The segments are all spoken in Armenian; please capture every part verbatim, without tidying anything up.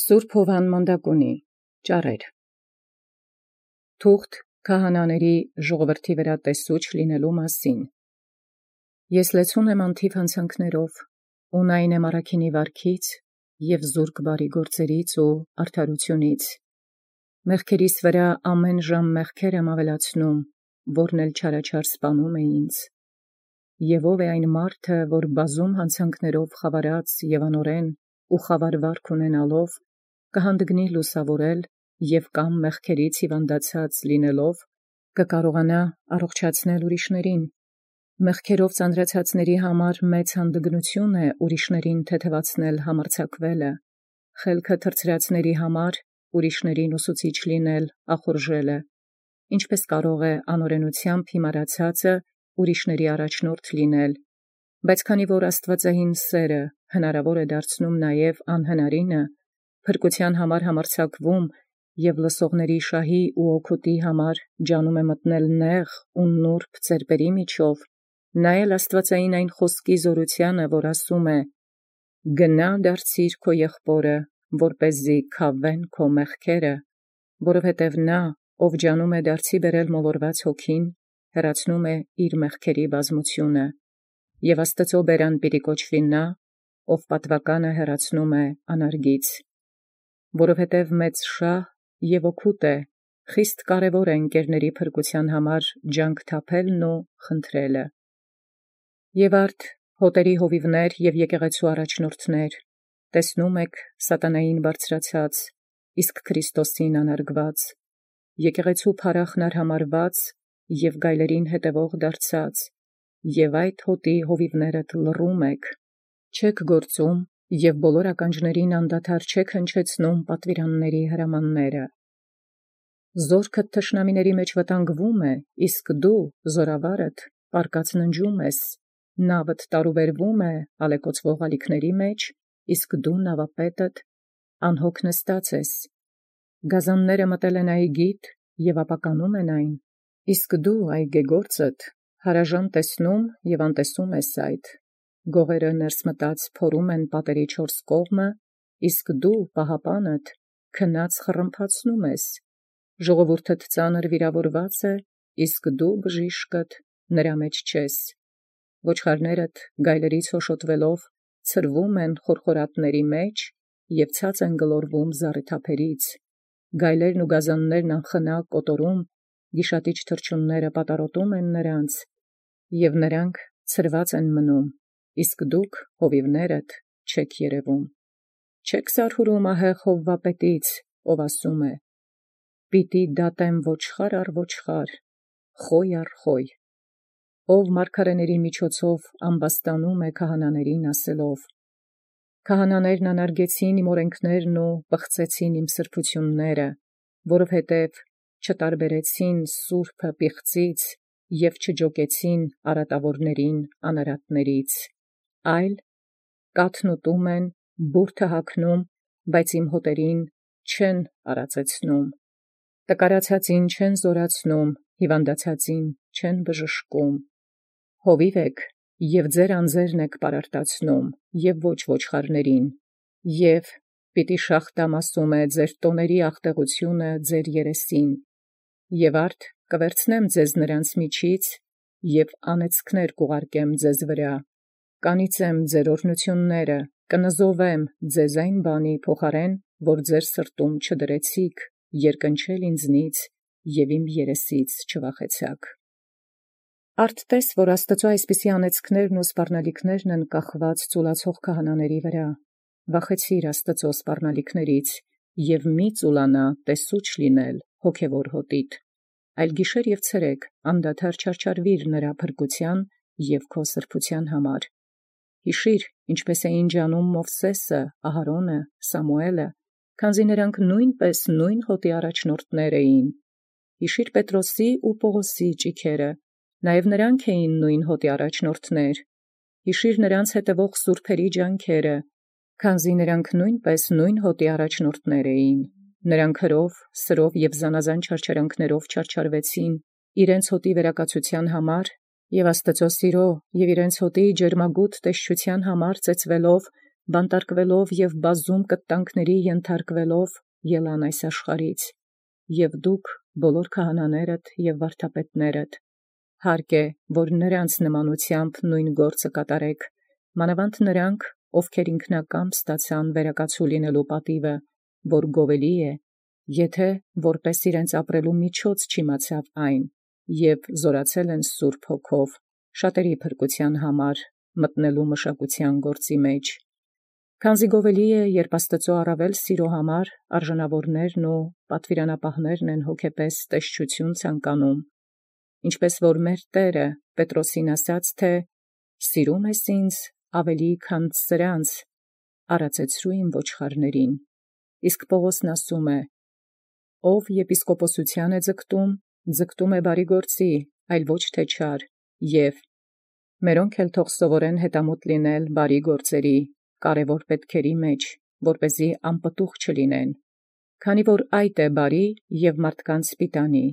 Սուրբ Հովան Մանդակունի ճառեր թուղթ քահանաների ժողովրդի վրա տեսուչ լինելու մասին։ Ես լեցուն եմ անթիվ հանցանքներով, ու նայն եմ առաքինի վարքից և զուրկ բարի գործերից ու արդարությունից։ Մեղքերիս վրա ամեն ժամ մեղքեր եմ ավելացնում, որն էլ չարաչար սպանում է ինձ։ Եվ ով է այն մարդը, որ բազում հանցանքներով խավարած և անօրեն ու խավար վարք ունենալով, կհանդգնի լուսավորել և կամ մեղքերից հիվանդացած լինելով, կկարողանա առողջացնել ուրիշներին։ Մեղքերով ծանրացածների համար մեծ հանդգնություն է ուրիշներին թեթևացնել համարձակվելը, խելքը թռցրածների համար ուրիշներին ուսուցիչ լինել ախորժելը, ինչպես կարող է անօրենությամբ հիմարացածը ուրիշների առաջնորդ լինել, բայց քանի որ աստվածային սերը հնարավոր է դարձնում նաև անհնարինը, փրկության համար համարձակվում և լսողների շահի ու օգուտի համար ջանում է մտնել նեղ ու նուրբ ծերպերի միջով, նա էլ աստվածային այն խոսքի զորությանը, որ ասում է. «Գնա դարձիր քո եղբորը, որպեսզի քավվեն քո մեղքերը», որովհետև նա, ով ջանում է դարձի բերել մոլորված հոգին, հեռացնում է իր մեղքերի բազմությունը, և Աստծո բերան պիտի կոչվի նա, ով պատվականը հեռացնում է անարգից։ Որովհետև մեծ շահ և օգուտ է, խիստ կարևոր է ընկերների փրկության համար ջանք թափելն ու խնդրելը։ Եվ արդ հոտերի հովիվներ և եկեղեցու առաջնորդներ, տեսնում եք սատանային բարձրացած, իսկ Քրիստոսին անարգված, եկեղեցու փառախն արհամարհված և գայլերին հետևող դարձած, և այդ հոտի հովիվներդ լռում եք, չեք գործում և բոլոր ականջներին անդադար չեք հնչեցնում պատվիրանների հրամանները։ Զորքդ թշնամիների մեջ վտանգվում է, իսկ դու, զորավարդ, պառկած ննջում ես, նավդ տարուբերվում է ալեկոծվող ալիքների մեջ, իսկ դու նավապետդ անհոգ նստած ես։ Գազանները մտել են այգիդ և ապականում են այն, իսկ դու այգեգործդ հարաժան տեսնում և անտեսում ես այդ։ Գողերը ներս մտած փորում են պատերի չորս կողմը, իսկ դու պահապանդ քնած խռմփացնում ես։ Ժողովուրդդ ծանր վիրավորված է, իսկ դու բժիշկդ նրա մեջ չես։ Ոչխարներդ գայլերից հոշոտվելով ցրվում են խորխորատների մեջ և ցած են գլորվում զառիթափերից։ Գայլերն ու գազաններն անխնա կոտորում, գիշատիչ թռչունները պատառոտում են նրանց, և նրանք ցրված են մնում, իսկ դուք, հովիվներդ, չեք երևում։ Չեք զարհուրում ահեղ հովվապետից, ով ասում է. «Պիտի դատեմ ոչխար առ ոչխար, խոյ առ խոյ», ով մարգարեների միջոցով ամբաստանում է քահանաներին ասելով. «Քահանաներն անարգեցին իմ օրենքներն ու պղծեցին իմ սրբությունները, որովհետև չտարբերեցին սուրբը պիղծից և չջոկեցին արատավորներին անարատներից, այլ կաթն ուտում են, բուրդը հագնում, բայց իմ հոտերին չեն արածեցնում, տկարացածին չեն զորացնում, հիվանդացածին չեն բժշկում։ Հովիվ եք և ձեր անձերն եք պարարտացնում, և ոչ ոչխարներին, և պիտի շաղտամ, ասում է, ձեր տոների աղտեղությունը ձեր երեսին, և արդ կվերցնեմ ձեզ նրանց միջից և անեծքներ կուղարկեմ ձեզ վրա, կանիծեմ ձեր օրհնությունները, կնզովեմ ձեզ այն բանի փոխարեն, որ ձեր սրտում չդրեցիք, երկնչել ինձնից և իմ երեսից չվախեցաք»։ Արդ տես, որ Աստծո այսպիսի անեծքներն ու սպառնալիքներն են կախված ծուլացող քահանաների վրա, վախեցիր Աստծո սպառնալիքներից և մի ծուլանա տեսուչ լինել հոգևոր հոտիդ, այլ գիշեր և ցերեկ անդադար չարչարվիր նրա փրկության և քո սրբության համար։ Հիշիր, ինչպես էին ջանում Մովսեսը, Ահարոնը, Սամուէլը, քանզի նրանք նույնպես նույն հոտի առաջնորդներ էին։ Հիշիր Պետրոսի ու Պողոսի ճիգերը, նաև նրանք էին նույն հոտի առաջնորդներ։ Հիշիր նրանց հետևող սուրբերի ջանքերը, քանզի նրանք նույնպես նույն հոտի առաջնորդներ էին։ Նրանք հրով, սրով և զանազան չարչարանքներով չարչարվեցին իրենց հոտի վերակացության համար և Աստծո սիրո և իրենց հոտի ջերմագութ տեսչության համար ծեծվելով բանտարկվելով և բազում կտանքների ենթարկվելով ելան այս աշխարհից, և դուք բոլոր քահանաներդ և վարդապետներդ, հարկ է, որ նոցին նմանութեամբ նովին գործը կատարէք, մանաւանդ նոցին, ովքեր ինքնակամ ստացան վերակացուլ լինելու պատիւը, որ գովելի է, եթէ որպէս իրենց ապրելու միջոց չիմացաւ այն, և զօրացել են սուրբ Հոգով, շատերի փրկութեան համար մտնելու մշակութեան գործի մեջ. քանզի գովելի է, երբ Աստուծոյ առաւել սիրոյ համար արժանաւորներն ու պատուիրանապահներն են հոգեպես տեսչութիւն ցանկանում, ինչպէս որ մեր Տէրը Պետրոսին ասաց, թէ «Սիրում ես ինձ առաւել քան սրանց, արածեցրու իմ ոչխարացն», իսկ Պաւղոսն ասում է. «Ով եպիսկոպոսութեան է ձգտում, ձգտում է բարի գործի, այլ ոչ թէ չար, և մերոնք էլ թող սովորեն հետամուտ լինել բարի գործերի, կարևոր պետքերի մեջ, որպեսզի անպտուղ չլինեն, քանի որ այդ է բարի և մարդկանց սպիտանի,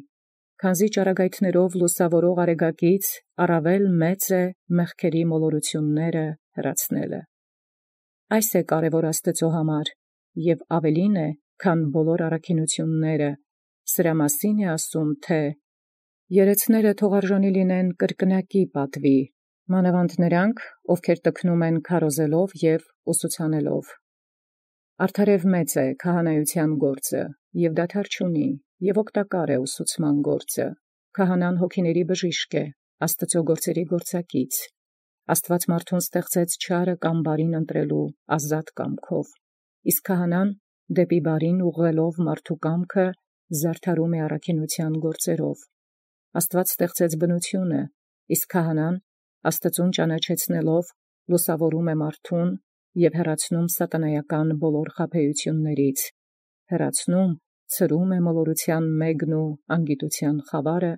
քանզի ճառագայթներով լուսաւորող արեգակից առաւել մեծ է մեղքերի մոլորութիւնսն հեռացնել։ Այս է կարևոր Աստուծոյ համար, և առաւելին է, քան բոլոր առաքինութիւնսն, սրա մասին է ասում, թէ «Երեցները թող արժանի լինիցին կրկնակի պատուի, մանաւանդ նոցին, ովքեր տքնում են քարոզելով և ուսուցանելով»։ Արդարև մեծ է քահանայութեան գործը, և դադար չունի, և օգտակար է ուսուցման գործը. քահանան հոգիների բժիշկ է, Աստուծոյ գործերի գործակից. Աստուած մարդուն ստեղծեց չարը կամ բարին ընտրելու ազատ կամքով, իսկ քահանան դեպի բարին ուղղելով մարդու կամքը զարդարում է առաքինութեան գործերով. Աստուած ստեղծեց բնութիւնը, իսկ քահանան Աստուծոյ ճանաչեցնելով լուսաւորում է մարդուն և հեռացնում սատանայական բոլոր խաբեութիւնսն, հեռացնում, ցրում է մոլորութեան մէգն ու անգիտութեան խաւարը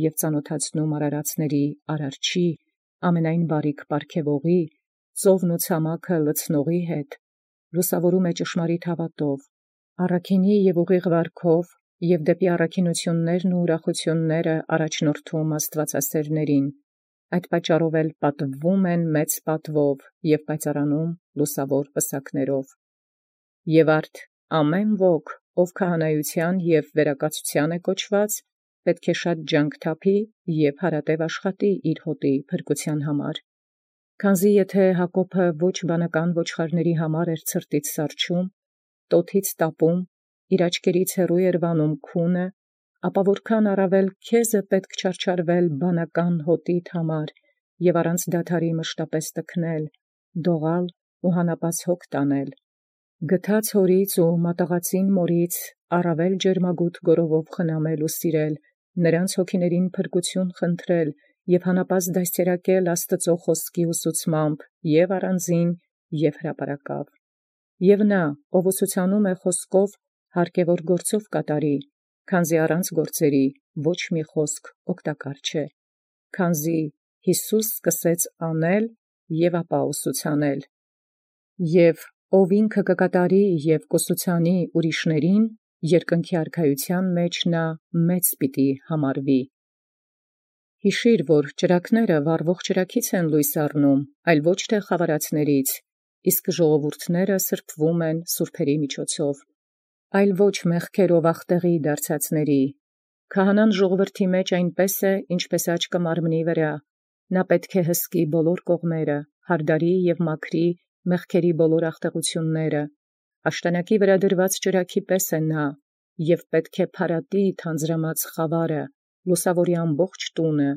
և ծանաւթացնում արարածացն Արարչի, ամենայն բարիք պարգևողի, ծովն ու ցամաքը լցնողի հետ, լուսաւորում է ճշմարիտ հաւատով, առաքինի և ուղիղ վարքով և դեպի առաքինութիւնսն ու ուրախութիւնսն առաջնորդում աստուածասէրացն, այդ պատճառով էլ պատվվում են մեծ պատվով և պայծառանում լուսաւոր պսակներով։ Եւ արդ ամեն ոք, ով քահանայութեան և վերակացութեան է կոչված, պետք է շատ ջանք թափի և հարատև աշխատի իր հօտի փրկութեան համար։ Քանզի եթէ Յակոբը ոչ բանական ոչխարացն համար էր ցրտից սառչում, տօթից տապում, իր աչքերից հեռու էր վանում քունը, ապա որքան առաւել քեզն պետք չարչարվել բանական հօտիդ համար և առանց դադարի մշտապէս տքնել, դողալ ու հանապազս հոգ տանել, գթած հորից ու մատաղածին մորից առաւել ջերմագութ գովութիւնով խնամել ու սիրել, նոցին հոգիցն փրկութիւն խնդրել և հանապազս դաստիարակել Աստուծոյ խոսքի ուսուցմամբ և՛ առանձին և հրապարակաւ։ Եւ նա, ով ուսուցանէ խոսքով, հարկ է որ գործով կատարի, քանզի առանց գործոյ ոչ մի խոսք օգտակար չէ, քանզի Յիսուս սկսաւ և ապա ուսուցանել։ Եւ ով ինքն կկատարի և կ'ուսուցանի ուրիշացն, երկնքի արքայութեան մեջ մեծ պիտի համարուի։ Յիշիր, որ ճրագները վառվող ճրագից են լույս առնում, այլ ոչ թէ խաւարածներից, իսկ ժողովուրդները սրբոյն են սուրբոցն միջոցով, այլ ոչ մեղքերով աղտեղի դարձելոցն։ Քահանան ժողովրդի մեջ այնպէս է, ինչպէս աչքը մարմնի վրա, նա պետք է հսկի բոլոր կողմանս, յարդարի և մաքրի մեղքերի բոլոր աղտեղութիւնսն, աշտանակի վրա դրուած ճրագի պես է նա, և պետք է փարատի թանձրամած խաւարը, լուսաւորի ամբողջ տունը,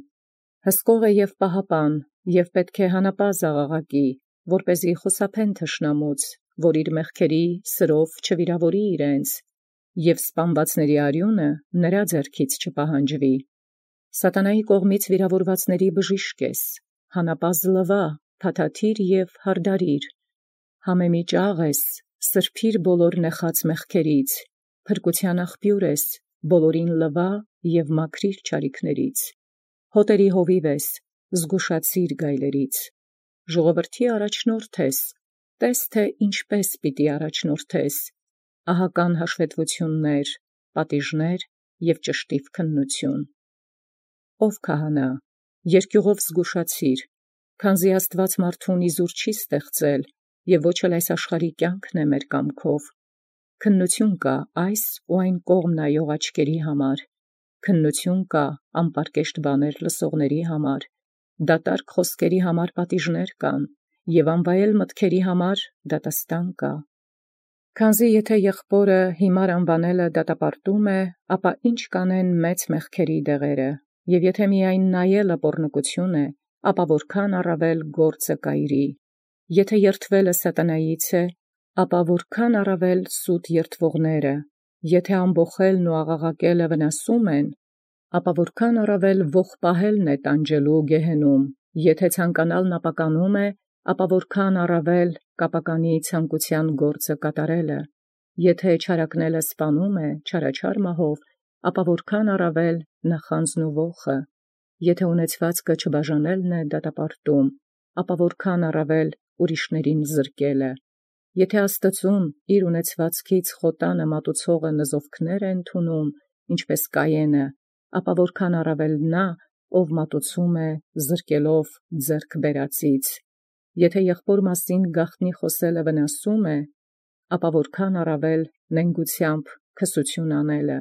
հսկող է և պահապան, և պետք է հանապազս աղաղակի, որպեսզի խուսափեն թշնամուց, որ իր մեղքերի սրով չվիրաւորի իրենց, և սպանվածցն արիւնը նրա ձեռքից չպահանջվի։ Սատանայի կողմից վիրաւորվածցն բժիշկ ես, հանապազս լվա, փաթաթիր և յարդարիր, համեմիջաղ ես, սրբիր բոլոր նեխած մեղքերից, փրկութեան աղբիւր ես, բոլորին լվա և մաքրիր չարիքներից, հօտերի հովիւ ես, զգուշացիր գայլերից, ժողովրդի առաջնորդ ես, տէս թէ ինչպէս պիտի առաջնորդես, ահական հաշվետվութիւնս, պատիժներ և ճշտիվ քննութիւն։ Ով քահանա, երկիւղով զգուշացիր, քանզի Աստուած մարդուն իզուր չի ստեղծել, եւ ոչ էլ այս աշխարհի կյանքն է մեր կամքով։ Քննություն կա այս ու այն կողմ նայող աչքերի համար, քննություն կա անպարկեշտ բաներ լսողների համար, դատարկ խոսքերի համար պատիժներ կան, եւ անվայել մտքերի համար դատաստան կա։ Քանզի եթե եղբորը հիմար անվանելը դատապարտում է, ապա ինչ կանեն մեծ մեղքերի դեղերը, եւ եթե միայն նայելը պոռնկություն է, ապա որքան առավել գործը կայրի, եթե երթվելը սատանայից է, ապա որքան առավել սուտ երթվողները, եթե ամբոխելն ու աղաղակելը վնասում են, ապա որքան առավել ողբահելն է տանջելու գեհենում, եթե ցանկանալն ապականում է, ապա որքան առավել կապականի ցանկության գործը կատարելը, եթե չարակնելը սպանում է չարաչար մահով, ապա որքան առավել նախանձն ու ոխը, եթե ունեցվածքը չբաժանելն է դատապարտում, ապա որքան առավել ուրիշներին զրկելը, եթե Աստծուն իր ունեցվածքից խոտանը մատուցողը նզովքներ է ընդունում, ինչպես Կայենը, ապա որքան առավել նա, ով մատուցում է զրկելով ձեռք բերածից, եթե եղբոր մասին գաղտնի խոսելը վնասում է, ապա որքան առավել նենգությամբ քսություն անելը,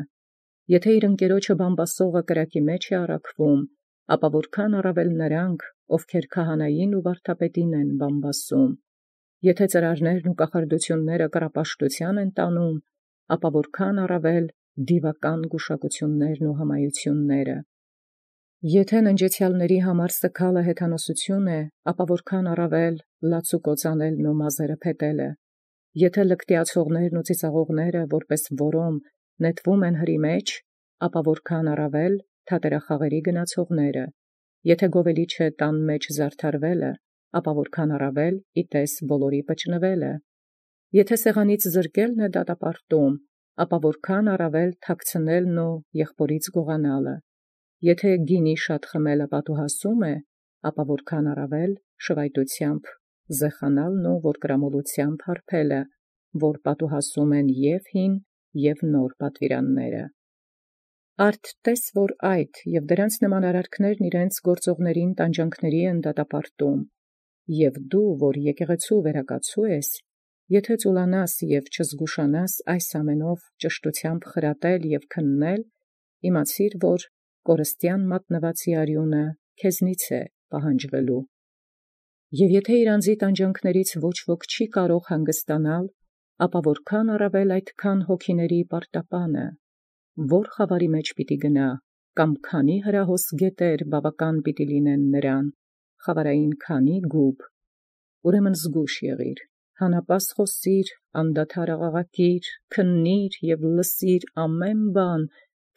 եթե իր ընկերոջը բամբասողը կրակի մեջ է առաքվում, ապա որքան առավել նրանք, ովքեր քահանային ու վարդապետին են բամբասում, եթե ծրարներն ու կախարդությունները կռապաշտության են տանում, ապա որքան առավել դիվական գուշակություններն ու հմայությունները, եթե ննջեցյալների համար սգալը հեթանոսություն է, ապա որքան առավել լացուկոծանելն ու մազերը փետելը, եթե լկտիացողներն ու ծիծաղողները որպես որոմ նետվում են հրի մեջ, ապա որքան առավել թատերախաղերի գնացողները, եթե գովելիչը տան մեջ զարդարվելը, ապա որքան առավել իտես բոլորի պճնվելը, եթե սեղանից զրկելն է դատապարտում, ապա որքան առավել թաքցնելն ու եղբորից գողանալը, եթե գինի շատ խմելը պատուհասում է, ապա որքան առավել շվայտությամբ զեխանալն ու որդկրամոլությամբ հարբելը, որ պատուհասում են և հին և նոր պատվիրանները։ Արդ տես որ այդ և դրանց նման արարքներն իրենց գործողներին տանջանքների են դատապարտում, և դու, որ եկեղեցու վերակացու ես, եթե ծուլանաս և չզգուշանաս այս ամենով ճշտությամբ խրատել և քննել, իմացիր, որ կորստյան մատնվածի արյունը քեզնից է պահանջվելու։ Եվ եթե իր անձի տանջանքներից ոչ ոք չի կարող հանգստանալ, ապա որքան առավել այդքան հոգիների պարտապանը, որ խավարի մեջ պիտի գնա, կամ քանի հրահոս գետեր բավական պիտի լինեն նրան, խավարային քանի գուբ, ուրեմն զգուշ եղիր, հանապաս խոսիր, անդադար աղաղակիր, քննիր և լսիր ամեն բան,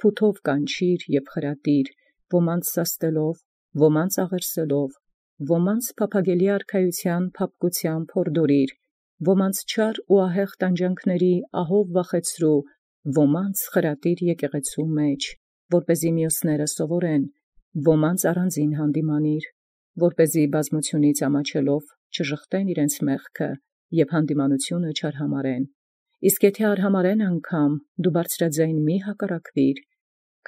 փութով կանչիր և խրատիր, ոմանց սաստելով, ոմանց աղերսելով, ոմանց փափագելի արքայության փափկությամբ հորդորիր, ոմանց չար ու ահեղ տանջանքների ահով վախեցրու, ոմանց խրատիր եկեղեցու մեջ, որպեսզի մյուսները սովորեն, ոմանց առանձին հանդիմանիր, որպեսզի բազմությունից ամաչելով չժխտեն իրենց մեղքը և հանդիմանությունը չարհամարեն, իսկ եթե արհամարեն անգամ, դու բարձրաձայն մի հակառակվիր,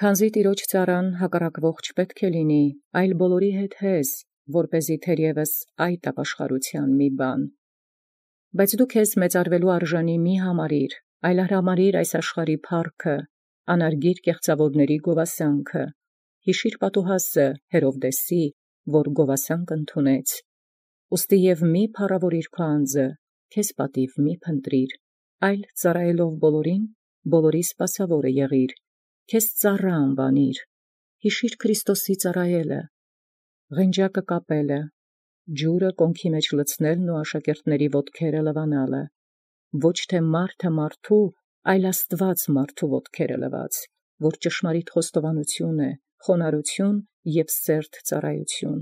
քանզի տիրոջ ծառան հակառակվող չպետք է լինի, այլ բոլորի հետ հես, որպեսզի թերևս այդ ապաշխարության մի բան։ Բայց դու քեզ մեծարվելու արժանի մի համարիր, այլ արհամարիր այս աշխարհի փառքը, անարգիր կեղծավորների գովասանքը, հիշիր պատուհասը Հերովդեսի, որ գովասանք ընդունեց, ուստի և մի փառավորիր քո անձը, քեզ պատիվ մի փնտրիր, այլ ծառայելով բոլորին, բոլորի սպասավորը եղիր, քեզ ծառա անվանիր, հիշիր Քրիստոսի ծառայելը, ղենջակը կապելը, ջուրը կոնքի մեջ լցնելն ու աշակերտների ոտքերը լվանալը, ոչ թե մարդը մարդու, այլ Աստված մարդու ոտքերը լված, որ ճշմարիտ խոստովանություն է, խոնարհություն և սերտ ծառայություն։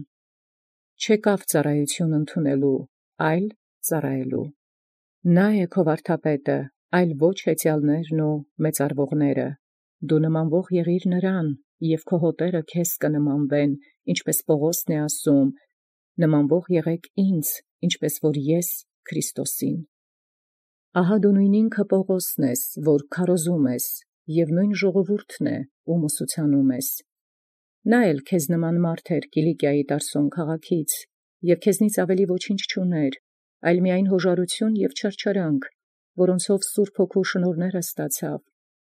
Չեկավ ծառայություն ընդունելու, այլ ծառայելու։ Նա է քո վարդապետը, այլ ոչ հեծյալներն ու մեծարվողները։ Դու նմանվող եղիր նրան, և քո հոտերը քեզ կնմանվեն, ինչպես Պողոսն է ասում, նմանվող եղեք ինձ, ինչպես որ ես Քրիստոսին։ Ահա դու նույն ինքը Պողոսն ես, որ քարոզում ես, և նույն ժողովուրդն է, ում ուսուցանում ես։ Նա էլ քեզ նման մարդ էր Կիլիկիայի Տարսոն քաղաքից, և քեզնից ավելի ոչինչ չուներ, այլ միայն յոժարութիւն և չարչարանք, որոնցով սուրբ հոգու շնորհս ստացաւ.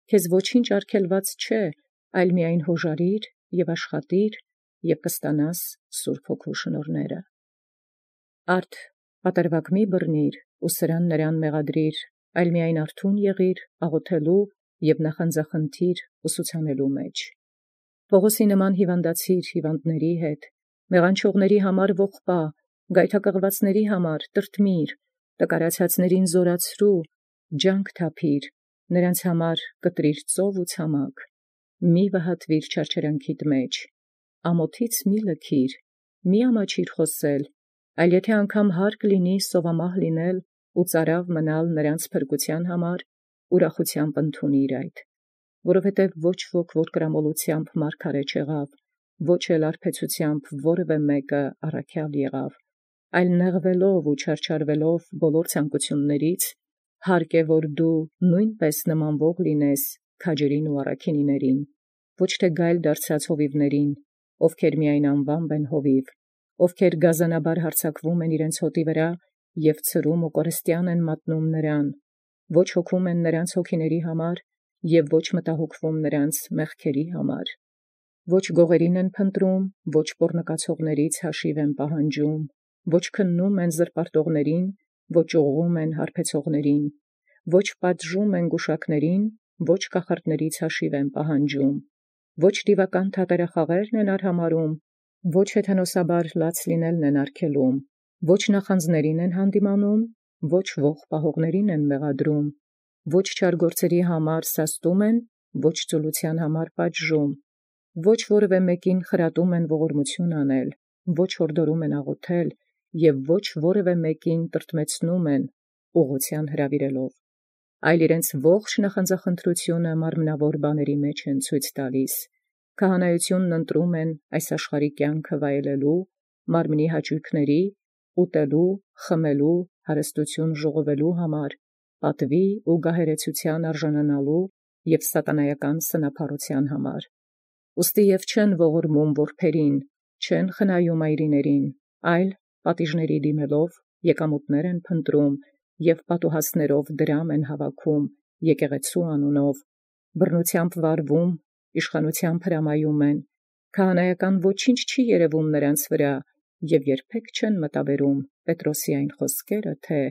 քեզ ոչինչ արգելված չէ, այլ միայն յոժարիր և աշխատիր, և կստանաս սուրբ հոգու շնորհս։ Արդ պատրվակ մի բռնիր, ու սրան նրան մեղադրիր, այլ միայն արթուն եղիր աղոթելոյ և նախանձախնդիր ուսուցանելոյ մեջ։ Պաւղոսի նման հիւանդացիր հիւանդացն հետ, մեղանչողացն համար ողբա, գայթակղվածացն համար տրտմիր, տկարացածացն զօրացրու, ջանք թափիր, նոցա համար կտրիր ծով ու ցամաք, մի վհատվիր չարչարանքիդ մեջ, ամոթից մի լքիր, մի ամաչիր խոսել, այլ եթէ անգամ հարկ լինի սովամահ լինել ու ծարաւ մնալ նոցա փրկութեան համար, ուրախութեամբ ընդունիր այդ. որովհետև ոչ ոք որ կրամոլութեամբ մարգարէ չեղավ, ոչ էլ արբեցութեամբ որևէ մեկը առաքյալ եղավ, այլ նեղուելով ու չարչարվելով բոլոր ցանկութիւնացն, հարկե որ դու նոյնպէս նմանվող լինես քաջերին ու առաքինիցն, ոչ թէ գայլ դարձած հովիւներին, ովքեր միայն անուամբ են հովիւ, ովքեր գազանաբար հարձակվում են իրենց հոտի վրա և ցրում ու կորստեան են մատնում նրան, ոչ հոգում են նրանց հոգիների համար և ոչ մտահոգվում նրանց մեղքերի համար, ոչ գողերին են փնտրում, ոչ պոռնկացողաց յաշիւ են պահանջում, ոչ քննում են զրպարտողացն, ոչ ուղղում են հարբեցողացն, ոչ պատժում են գուշակացն, ոչ կախարդաց յաշիւ են պահանջում, ոչ դիւական թատերախաղերն են արհամարհում, ոչ հեթանոսաբար լաց լինելն են արգելում, ոչ նախանձին են յանդիմանում, ոչ ողջ պահողացն են մեղադրում, ոչ չար գործոյն համար սաստում են, ոչ ծուլութեան համար պատժում, ոչ որևէ մեկին խրատում են ողորմութիւն անել, ոչ յորդորում են աղոթել, և ոչ որևէ մեկին տրտմեցնում են ուղղութեան հրաւիրելով, այլ իրենց ողջ նախանձախնդրութիւնը մարմնաւոր բաներուն մեջ են ցույց տալիս, քահանայութիւնն ընտրում են այս աշխարհիկ կենքը վայելելոյ, մարմնի հաճոյքս, ուտելոյ, խմելոյ, հարստութիւն ժողովելոյ համար, պատուի ու գահերեցութեան արժանանալոյ և սատանայական սնափառութեան համար։ Ուստի և չեն ողորմում որբերին, չեն խնայում այրիցն, այլ պատիժացն դիմելով եկամուտս են փնտրում և պատուհասիւք դրամ են հավաքում եկեղեցւոյ անունով, բռնութեամբ վարվում, իշխանութեամբ հրամայում են, քահանայական ոչինչ չի երևում նոցա վրա, և երբեք չեն մտաբերում Պետրոսի այն խոսքերը, թէ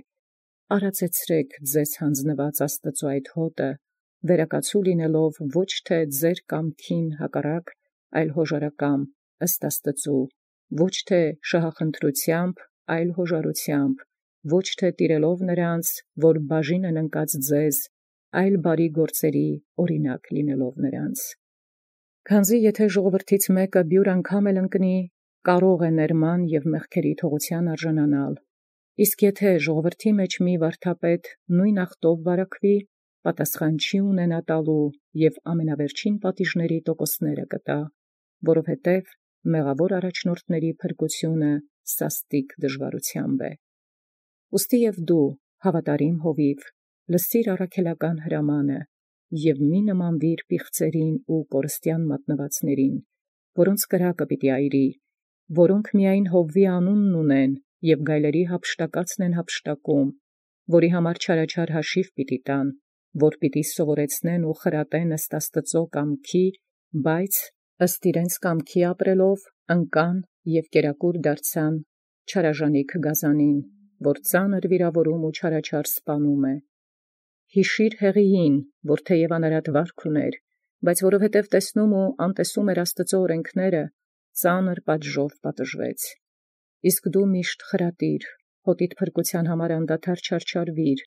«Արածեցրէք ձեզ յանձնուած Աստուծոյ այդ հօտը, վերակացուլ լինելով ոչ թէ ձեր կամքին հակառակ, այլ յոժարակամ ըստ Աստուծոյ, ոչ թէ շահախնդրութեամբ, այլ յոժարութեամբ, ոչ թէ տիրելով նոցա, որ բաժին են ընկած ձեզ, այլ բարեաց գործոյն օրինակ լինելով նոցա։ Քանզի եթէ ժողովրդից մեկը բիւր անգամ էլ ընկնի, կարող է ներման և մեղքերի թողութեան արժանանալ, իսկ եթէ ժողովրդի մեջ մի վարդապետ նոյն ախտով վարակուի, պատասխան չի ունենա տալու և ամենավերջին պատիժացն տոկոսս կտա, որովհետև մեղաւոր առաջնորդացն փրկութիւնը սաստիկ դժուարութեամբ է։ Ուստի և դու, հաւատարիմ հովիւ, լսիր առաքելական հրամանը և մի նմանվիր պիղծերին ու կորստեան մատնուածացն, որոնց կրակը պիտի այրի, որոնք միայն Յովվի անունն ունեն և գայլերու յափշտակածն են յափշտակում, որի համար չարաչար յաշիվ պիտի տան, որ պիտի սովորեցնեն ու խրատեն ըստ Աստուծոյ կամքի, բայց ըստ իրենց կամքի ապրելով ընկան և կերակուր դարձան չարաժանիք գազանին, որ ծանր վիրաւորում ու չարաչար սպանում է։ Յիշիր Հեղիին, որ թեև անարատ վարք ունէր, բայց որովհետև տեսնում ու անտեսում էր Աստուծոյ օրենքները, ծանր պատժով պատժվեց։ Իսկ դու միշտ խրատիր, հօտիդ փրկութեան համար անդադար չարչարվիր,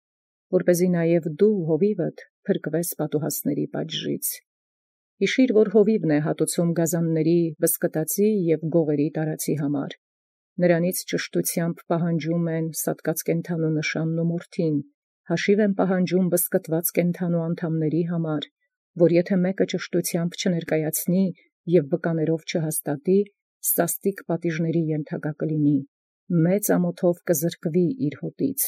որպեսզի նաև դու հովիւդ փրկվես պատուհասիւք պատժից։ Յիշիր, որ հովիւն է հատուցում գազանացն վսկտածի և գողերի տարածի համար. նրանից ճշտութեամբ պահանջում են սատկած կենդանու նշանն ու մորթին, յաշիվ են պահանջում վսկտված կենդանու անդամացն համար, որ եթէ մեկը ճշտութեամբ չներկայացնի և վկաներով չհաստատի, սաստիկ պատիժացն ենթակա կլինի, մեծ ամոթով կզրկուի իր հոտից։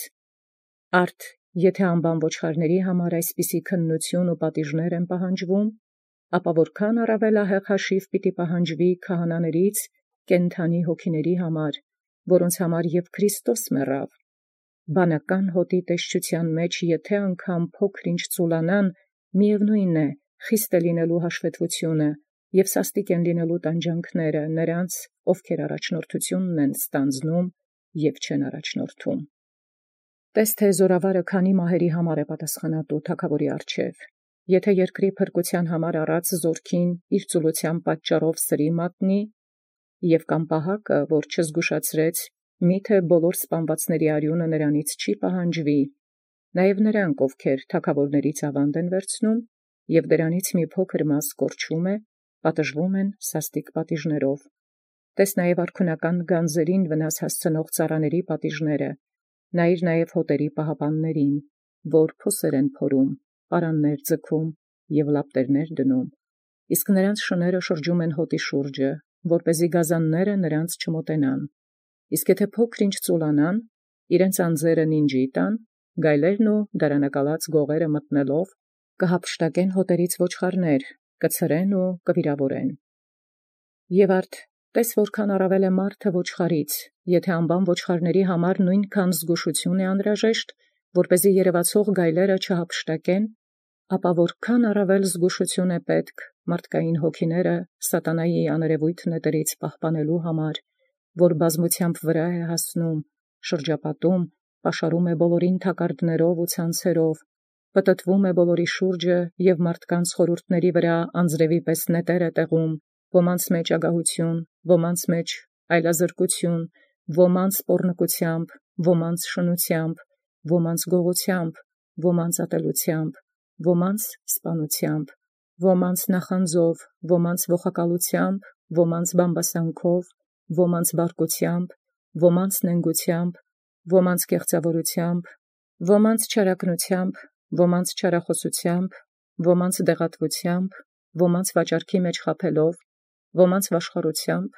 Արդ եթէ անբան ոչխարացն համար այսպիսի քննութիւն ու պատիժներ են պահանջվում, ապա որքան առաւել ահեղ յաշիվ պիտի պահանջվի քահանաներից կենդանի հոգիների համար, որոնց համար և Քրիստոս մեռավ, բանական հոտի տեսչութեան մեջ եթէ անգամ փոքր ինչ ծուլանան, միևնույն է, խիստ է լինելու հաշվետվութիւնը, և սաստիկ են լինելու տանջանքները նրանց, ովքեր առաջնորդութիւնն են ստանձնում և չեն առաջնորդում։ Տես թե զորավարը քանի մահերի համար է պատասխանատու թագաւորի առջև, եթէ երկրի փրկութեան համար առած զորքին իր ծուլութեան պատճառով սրի մատնի, և կամ պահակը, որ չզգուշացրեց, միթե բոլոր սպանվածների արիւնը նրանից չի պահանջվի, նաև նրանք, ովքեր թագաւորներից աւանդ են վերցնում, և դրանից մի փոքր մաս կորչում է, պատժվում են սաստիկ պատիժներով։ Տես նաև արքունական գանձերին վնաս հասցնող ծառաների պատիժները, նայր նաև հոտերի պահապաններին, որ փոսեր են փորում, պարաններ ձգում և լապտերներ դնում, իսկ նրանց շները շրջում են հոտի շուրջը, որպեսզի գազանները նրանց չմոտենան, իսկ եթե փոքր ինչ ծուլանան, իրենց անձերը նինջի տան, գայլերն ու դարանակալած գողերը մտնելով, կհափշտակեն հոտերից ոչխարներ, կցրեն ու կվիրավորեն։ Եւ արդ տես որքան առավել է մարդը ոչխարից, եթե անբան ոչխարների համար նույնքան զգուշություն է անհրաժեշտ, որպեսզի երևացող գայլերը չհափշտակեն, ապա որքան առավել զգուշություն է պետք մարդկային հոգիները սատանայի աներևույթ նետերից պահպանելու համար, որ բազմությամբ վրա է հասնում, շրջապատում, պաշարում է բոլորին թակարդներով ու ցանցերով, պտտվում է բոլորի շուրջը և մարդկանց խորհուրդների վրա անձրևի պես նետեր է տեղում, ոմանց մեջ ագահություն, ոմանց մեջ այլազրկություն, ոմանց պոռնկությամբ, ոմանց շնությամբ, ոմանց գողությամբ, ոմանց ատելությամբ, ոմանց սպանությամբ, ոմանց նախանձով, ոմանց ողակալությամբ, ոմանց բամբասանքով, ոմանց բարկությամբ, ոմանց նենգությամբ, ոմանց կեղծավորությամբ, ոմանց չարակնությամբ, ոմանց չարախոսությամբ, ոմանց դեղատվությամբ, ոմանց վաճառքի մեջ խաբելով, ոմանց վաշխառությամբ,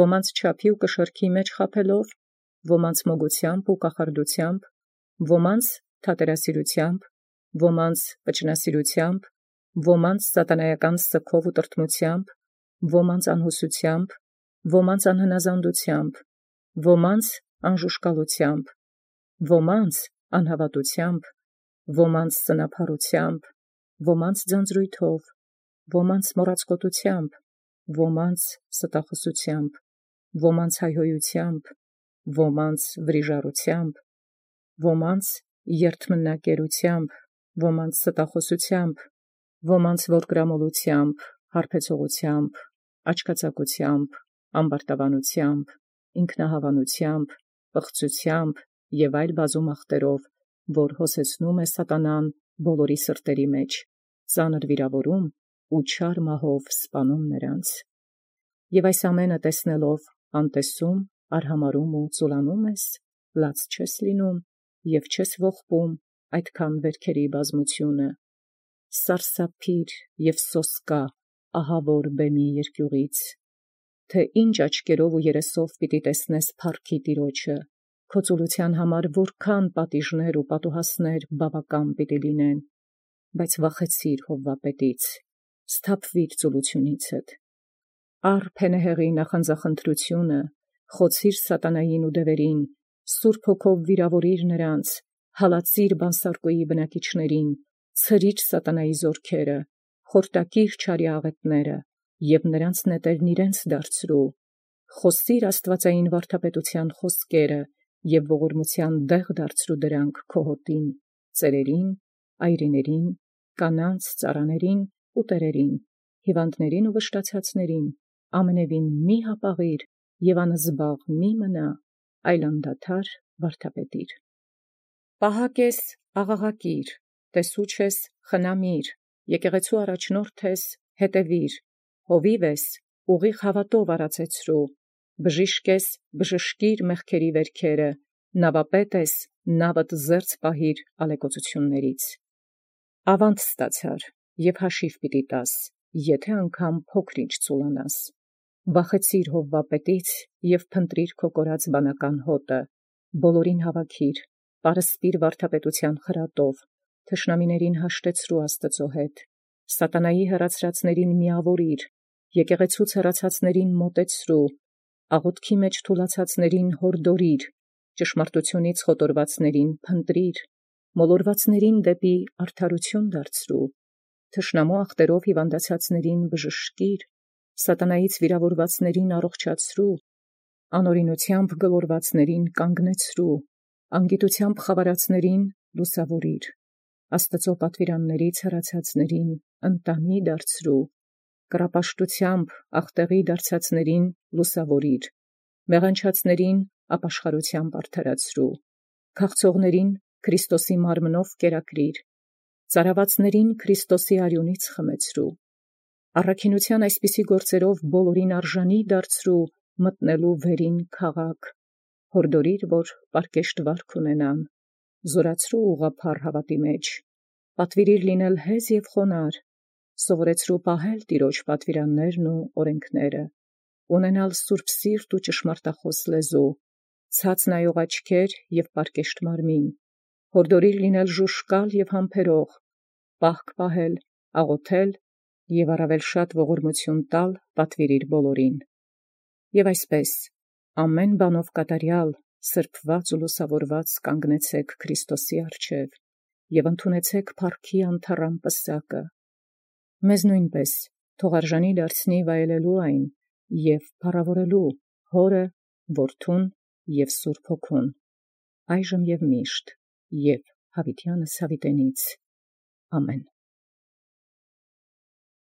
ոմանց չափի ու կշռքի մեջ խաբելով, ոմանց մոգությամբ ու կախարդությամբ, ոմանց թատերասիրությամբ, ոմանց պճնասիրությամբ, ոմանց սատանայական սգով ու տրտմությամբ, ոմանց անհուսությամբ, ոմանց անհնազանդությամբ, ոմանց անժուշկալությամբ, ոմանց անհավատությամբ, ոմանց սնափառությամբ, ոմանց ձանձրույթով, ոմանց մոռացկոտությամբ, ոմանց ստախոսությամբ, ոմանց հայհոյությամբ, ոմանց վրիժառությամբ, ոմանց երթմնակերությամբ, ոմանց ստախոսությամբ, ոմանց որդգրամոլությամբ, հարբեցողությամբ, աչքածակությամբ, ամբարտավանությամբ, ինքնահավանությամբ, պղծությամբ և այլ բազում ախտերով, որ հոսեցնում է սատանան բոլորի սրտերի մեջ, ծանր վիրավորում ու չար մահով սպանում նրանց։ Եվ այս ամենը տեսնելով անտեսում, արհամարհում ու ծուլանում ես, լաց չես լինում և չես ողբում այդքան վերքերի բազմությունը։ Սարսափիր և սոսկա ահավոր բեմի երկյուղից, թե ինչ աչքերով ու երեսով պիտի տեսնես փառքի Տիրոջը, քո ծուլութեան համար որքան պատիժներ ու պատուհասներ բավական պիտի լինեն, բայց վախեցիր Հովվապետից, սթափվիր ծուլութիւնիցդ, առ փենեհեղի նախանձախնդրութիւնը, խոցիր սատանային ու դևերին, Սուրբ Հոգով վիրավորիր նրանց, հալածիր բանսարկոյի բնակիչներին, ցրիր սատանայի զորքերը, խորտակիր չարի աղետները և նրանց նետերն իրենց դարձրու, խոսիր աստուածային վարդապետութեան խոսքերը և ողորմութեան դեղ դարձրու դրանք քո հոտին, ծերերին, այրիներին, կանանց, ծառաներին ու տերերին, հիվանդներին ու վշտացածներին, ամենևին մի հապաղիր և անզբաղ մի մնա, այլ անդադար վարդապետիր։ Պահակ ես, աղաղակիր, տեսուչ ես, խնամիր, եկեղեցու առաջնորդ ես, հետևիր, հովիվ ես, ուղիղ հաւատով արածեցրու, բժիշկ ես, բժշկիր մեղքերի վերքերը, նավապետ ես, նավդ զերծ պահիր ալեկոծություններից։ Ավանդ ստացար և հաշիվ պիտի տաս, եթե անգամ փոքր ինչ ծուլանաս։ Վախեցիր Հովվապետից և փնտրիր քո կորած բանական հոտը, բոլորին հավաքիր, պարսպիր վարդապետութեան խրատով, թշնամիներին հաշտեցրու Աստուծո հետ, սատանայի հեռացրածներին միավորիր, եկեղեցուց հեռացածներին մոտեցրու, աղոթքի մեջ թուլացածներին հորդորիր, ճշմարտութիւնից խոտորվածներին փնտրիր, մոլորվածներին դեպի արդարութիւն դարձրու, թշնամու ախտերով հիվանդացածներին բժշկիր, սատանայից վիրավորվածներին առողջացրու, անօրինութեամբ գլորվածներին կանգնեցրու, անգիտութեամբ խավարածներին լուսաւորիր, Աստուծոյ պատուիրաններից հեռացածներին ընտանի դարձրու, կռապաշտութեամբ ախտեղի դարձածներին լուսաւորիր, մեղանչածներին ապաշխարութեամբ արդարացրու, քաղցողներին Քրիստոսի մարմնով կերակրիր, ծարավածներին Քրիստոսի արիւնից խմեցրու, առաքինութեան այսպիսի գործերով բոլորին արժանի դարձրու մտնելու վերին քաղաք, յորդորիր, որ պարկեշտ վարք ունենան, զօրացրու ուղղափառ հաւատի մեջ, պատուիրիր լինել հեզ և խոնարհ, սովորեցրու պահել Տեառն պատուիրաններն ու օրենքները, ունենալ սուրբ սիրտ ու ճշմարտախաւս լեզու, ցած նայող աչքեր և պարկեշտ մարմին, յորդորիր լինել ժուժկալ և համբերող, պահք պահել, աղոթել և առավել շատ ողորմութիւն տալ պատուիրիր բոլորին։ Եւ այսպէս ամեն բանով կատարեալ, սրբոած ու լուսաւորուած կանգնեցէք Քրիստոսի առջև և ընդունեցէք փառքի անթառամ պսակը։ Մեզ նոյնպէս թող արժանի դարձնի վայելելու այն և փառաւորելու Հօրը, Որդուն և Սուրբ Հոգուն, այժմ և միշտ և յաւիտյանս յաւիտենից. ամեն։